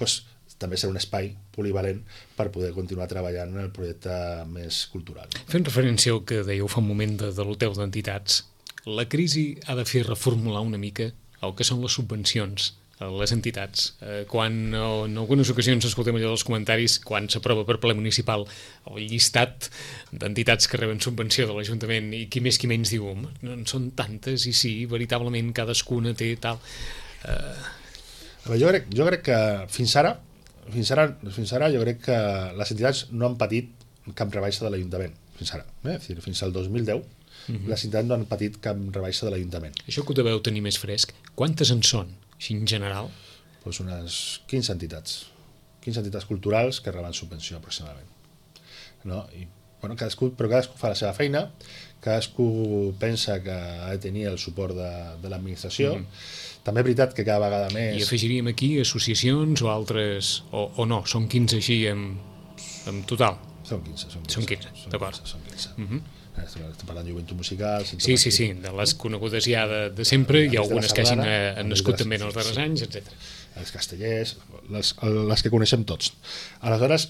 també serà un espai polivalent per poder continuar treballant en el projecte més cultural. Fent referència al que dèieu fa un moment de l'hotel d'entitats, la crisi ha de fer reformular una mica el que són les subvencions a les entitats. Quan en algunes ocasions escoltem allò dels comentaris, quan s'aprova per ple municipal el llistat d'entitats que reben subvenció de l'Ajuntament, i qui més qui menys diu, no en són tantes, i sí, veritablement cadascuna té tal... Jo crec que fins ara jo crec que les entitats no han patit cap rebaixa de l'Ajuntament, fins ara. És dir, fins al 2010 les entitats no han patit cap rebaixa de l'Ajuntament. Això que ho deveu tenir més fresc, quantes en són? Així en general? Unes 15 entitats culturals que reben subvenció aproximadament, no? Però cadascú fa la seva feina, cadascú pensa que ha de tenir el suport de l'administració. També és veritat que cada vegada més... I afegiríem aquí associacions o altres, o no, són 15 així en total? Són 15, d'acord. Són 15. Estem parlant de joventut musical... Sí, de les conegudes ja de sempre, hi ha algunes que hagin nascut també en els darrers anys, etc. Els castellers, les que coneixem tots. Aleshores,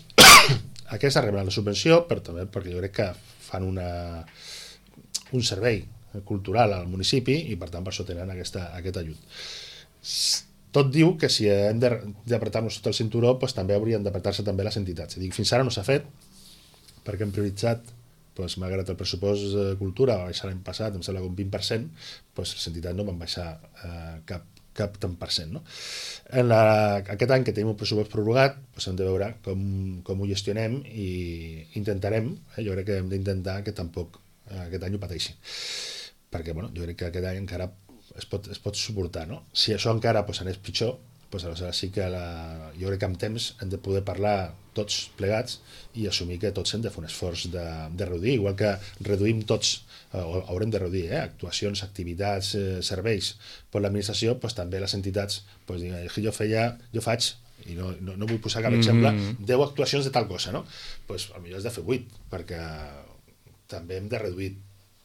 aquestes reben la subvenció, però també perquè jo crec que fan un servei cultural al municipi i per tant per això tenen aquest ajut. Tot diu que si hem d'apretar-nos tot el cinturó, també haurien d'apretar-se també les entitats. Fins ara no s'ha fet perquè hem prioritzat, malgrat el pressupost de cultura va baixar l'any passat, em sembla que un 20%, les entitats no van baixar cap tant per cent, no? Aquest any que tenim un pressupost prorrogat, hem de veure com ho gestionem i intentarem, jo crec que hem d'intentar que tampoc aquest any ho pateixi, perquè jo crec que aquest any encara es pot suportar, no? Si això encara anés pitjor, aleshores sí que jo crec que amb temps hem de poder parlar tots plegats i assumir que tots hem de fer un esforç de reduir, igual que reduïm tots, haurem de reduir actuacions, activitats, serveis per l'administració, també les entitats jo faig, i no vull posar cap exemple, 10 actuacions de tal cosa, no? Potser has de fer 8, perquè també hem de reduir.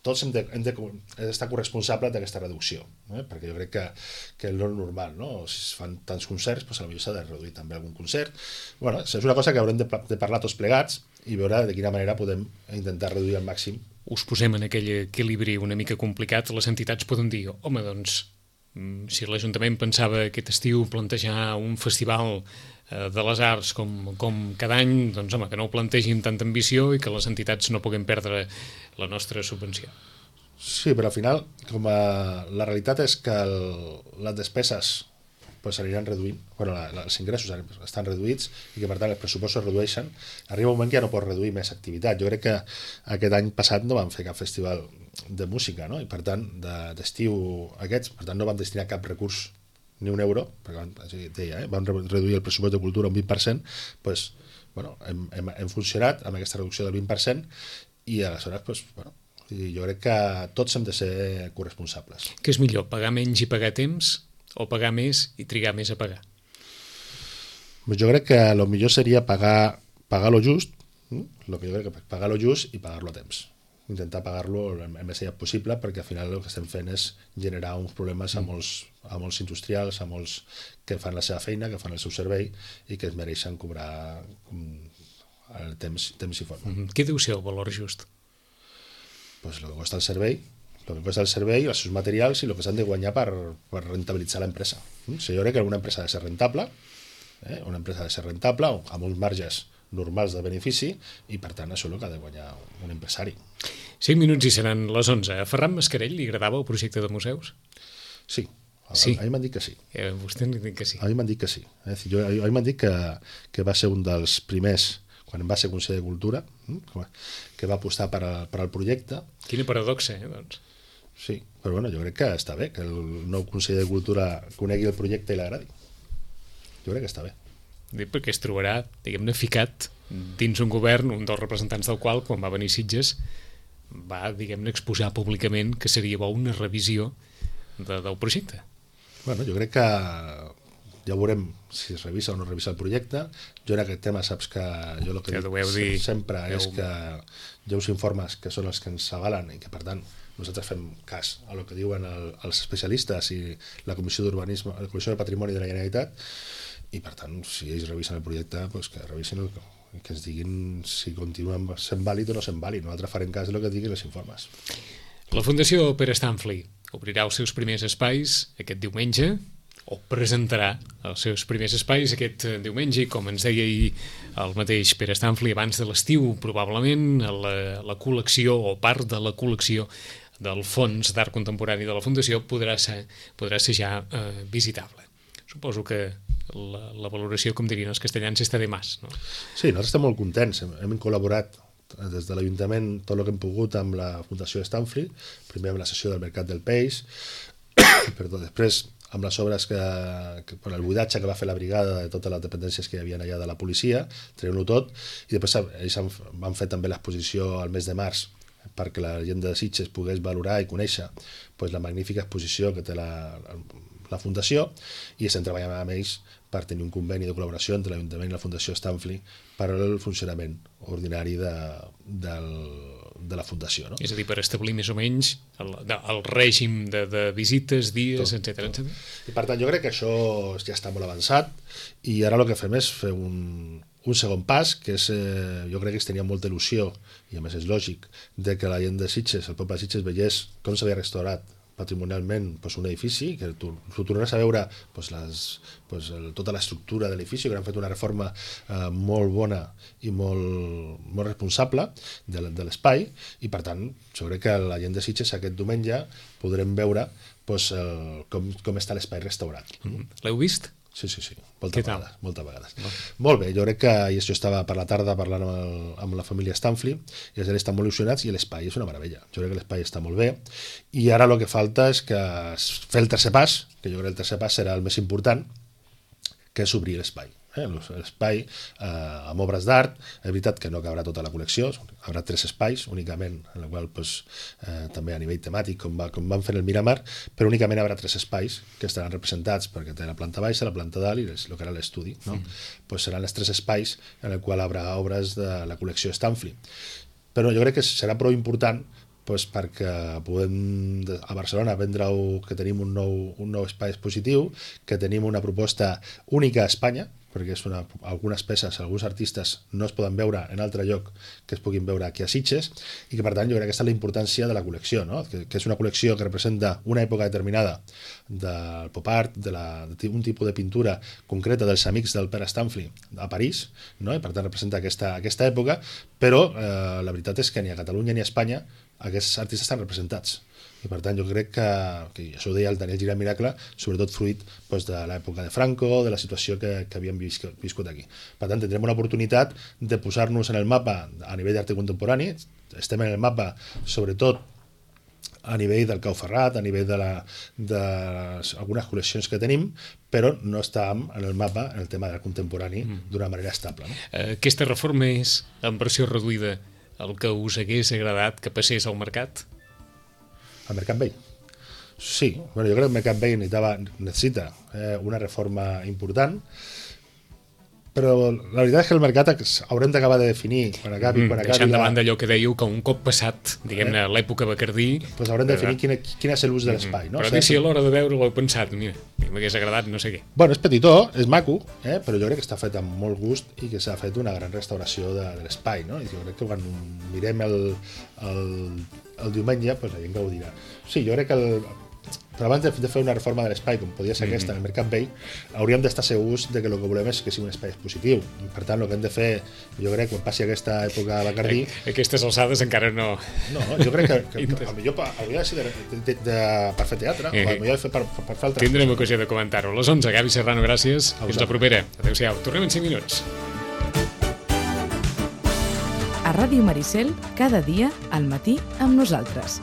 Tots hem d'estar corresponsables d'aquesta reducció, perquè jo crec que és normal, no? Si es fan tants concerts, potser s'ha de reduir també algun concert. És una cosa que haurem de parlar tots plegats i veure de quina manera podem intentar reduir al màxim. Us posem en aquell equilibri una mica complicat, les entitats poden dir, home, doncs si l'Ajuntament pensava aquest estiu plantejar un festival de les arts com cada any, doncs home, que no ho plantegi amb tanta ambició i que les entitats no puguem perdre la nostra subvenció. Sí, però al final, la realitat és que les despeses pues, s'aniran reduint, bueno, els ingressos estan reduïts i que per tant els pressupostos es redueixen, arriba un moment que ja no pots reduir més activitat. Jo crec que aquest any passat no vam fer cap festival de música, no? I per tant, d'estiu aquests, per tant no vam destinar cap recurs, ni un euro, perquè vam reduir el pressupost de cultura un 20%, pues, bueno, hem funcionat amb aquesta reducció del 20% i aleshores, pues, bueno, jo crec que tots hem de ser corresponsables. Què és millor, pagar menys i pagar temps o pagar més i trigar més a pagar? Jo crec que el millor seria pagar lo just, lo que jo crec que pagar lo just i pagar-lo a temps. Intentar pagar-lo el més aviat possible, perquè al final el que estem fent és generar uns problemes a molts industrials, a molts que fan la seva feina, que fan el seu servei i que es mereixen cobrar el temps i forma. Què deu ser el valor just? Pues el que costa el servei, els seus materials i el que s'han de guanyar per rentabilitzar l'empresa. Jo crec que una empresa ha de ser rentable, amb uns marges normals de benefici i per tant això és el que ha de guanyar un empresari. 5 minuts i seran les 11. A Ferran Mascarell li agradava el projecte de museus? Sí. Sí. A mi m'han dit que sí. Vostè n'ha dit que sí. A mi m'han dit que sí. A mi m'han dit que va ser un dels primers, quan va ser conseller de Cultura, que va apostar per al projecte. Quina paradoxa, doncs. Sí, però bueno, jo crec que està bé que el nou conseller de Cultura conegui el projecte i l'agradi. Jo crec que està bé. Dic perquè es trobarà, diguem-ne, ficat dins un govern, un dels representants del qual, quan va venir Sitges, va, diguem-ne, exposar públicament que seria bo una revisió del projecte. Bueno, jo crec que ja veurem si es revisa o no es revisa el projecte. Jo en aquest tema saps que jo el que dic sempre és que hi ha uns informes que són els que ens avalen i que per tant nosaltres fem cas a el que diuen els especialistes i la Comissió d'Urbanisme, la Comissió de Patrimoni de la Generalitat, i per tant si ells revisen el projecte pues que revisen que ens diguin si continua sent vàlid o no sent vàlid. Nosaltres farem cas del que diguin els informes. La Fundació Pere Stanley obrirà els seus primers espais aquest diumenge, o presentarà els seus primers espais aquest diumenge, i com ens deia ahir el mateix Pere Stanley, abans de l'estiu probablement la col·lecció o part de la col·lecció del Fons d'Art Contemporani de la Fundació podrà ser ja visitable. Suposo que la valoració, com dirien els castellans, està de más, no? Sí, nosaltres estem molt contents. Hem col·laborat des de l'Ajuntament tot el que hem pogut amb la Fundació Stanley, primer amb la sessió del Mercat del Peix, perdó, després amb les obres per el buidatge que va fer la brigada de totes les dependències que hi havia allà de la policia, traient-ho tot, i després ells van fer també l'exposició al mes de març perquè la gent de Sitges pogués valorar i conèixer la magnífica exposició que té la Fundació, i estem treballant amb ells per tenir un conveni de col·laboració entre l'Ajuntament i la Fundació Stanley per al funcionament ordinari de la Fundació, no? És a dir, per establir més o menys el règim de visites, dies, etcètera. I per tant jo crec que això ja està molt avançat i ara el que fem és fer un segon pas, que és, jo crec que es tenia molta il·lusió, i a més és lògic, de que la gent de Sitges, el poble de Sitges, veiés com s'havia restaurat patrimonialment un edifici, que tu tornaràs a veure tota l'estructura de l'edifici, que han fet una reforma molt bona i molt responsable de l'espai, i per tant jo crec que la gent de Sitges aquest diumenge podrem veure com està l'espai restaurat. L'heu vist? Sí, moltes vegades. Molt bé, jo crec que jo estava per la tarda parlant amb la família Stanley i els estan molt il·lusionats i l'espai és una meravella. Jo crec que l'espai està molt bé i ara el que falta és fer el tercer pas, que jo crec que el tercer pas serà el més important, que és obrir l'espai. L'espai amb obres d'art, és veritat que no cabrà tota la col·lecció, haurà 3 espais únicament, en el qual també a nivell temàtic, com van fer el Miramar, però únicament haurà 3 espais que estaran representats perquè té la planta baixa, la planta dalt i el que era l'estudi, no? Seran els 3 espais en el qual hi haurà obres de la col·lecció Stanley. Però jo crec que serà prou important perquè podem a Barcelona vendre que tenim un nou espai expositiu, que tenim una proposta única a Espanya, perquè algunes peces, alguns artistes no es poden veure en altre lloc que es puguin veure aquí a Sitges, i que per tant jo crec que aquesta és la importància de la col·lecció, no? que és una col·lecció que representa una època determinada del pop art, d'un tipus de pintura concreta dels amics del Pere Stanley a París, no? I per tant representa aquesta època, però la veritat és que ni a Catalunya ni a Espanya aquests artistes estan representats. I per tant jo crec que això ho deia el Daniel Gira Miracle, sobretot fruit doncs, de l'època de Franco, de la situació que havíem viscut aquí. Per tant tindrem una oportunitat de posar-nos en el mapa a nivell d'arte contemporani, estem en el mapa sobretot a nivell del Cau Ferrat, a nivell d'algunes col·leccions que tenim, però no estàvem en el mapa en el tema del contemporani d'una manera estable. No? Aquesta reforma és en versió reduïda el que us hagués agradat que passés al mercat? Al Mercat Vell? Sí, bueno, jo crec que el Mercat Vell necessita una reforma important, però la veritat és que el mercat haurem d'acabar de definir quan acabi deixant de banda allò que dèieu, que un cop passat diguem-ne l'època Bacardí doncs haurem de definir quin és l'ús de l'espai, no? Però dic, si a l'hora de veure-lo heu pensat, mira, m'hagués agradat no sé què. Bueno, és petitó, és maco, però jo crec que està fet amb molt gust i que s'ha fet una gran restauració de l'espai, no? I jo crec que quan mirem el diumenge doncs la gent gaudirà. Sí, jo crec que però abans de fer una reforma de l'espai com podia ser aquesta en el Mercat Vell, hauríem d'estar segurs de que el que volem és que sigui un espai expositiu. I per tant el que hem de fer, jo crec, quan passi aquesta època a Bacardí... Aquestes alçades encara no... No, jo crec que potser hauria de ser per fer teatre, o potser per fer altres... Tindrem ocasió de comentar-ho. A les 11, Gavi Serrano, gràcies. Fins la propera. Adéu-siau. Tornem en 5 minuts. A Ràdio Maricel, cada dia al matí amb nosaltres.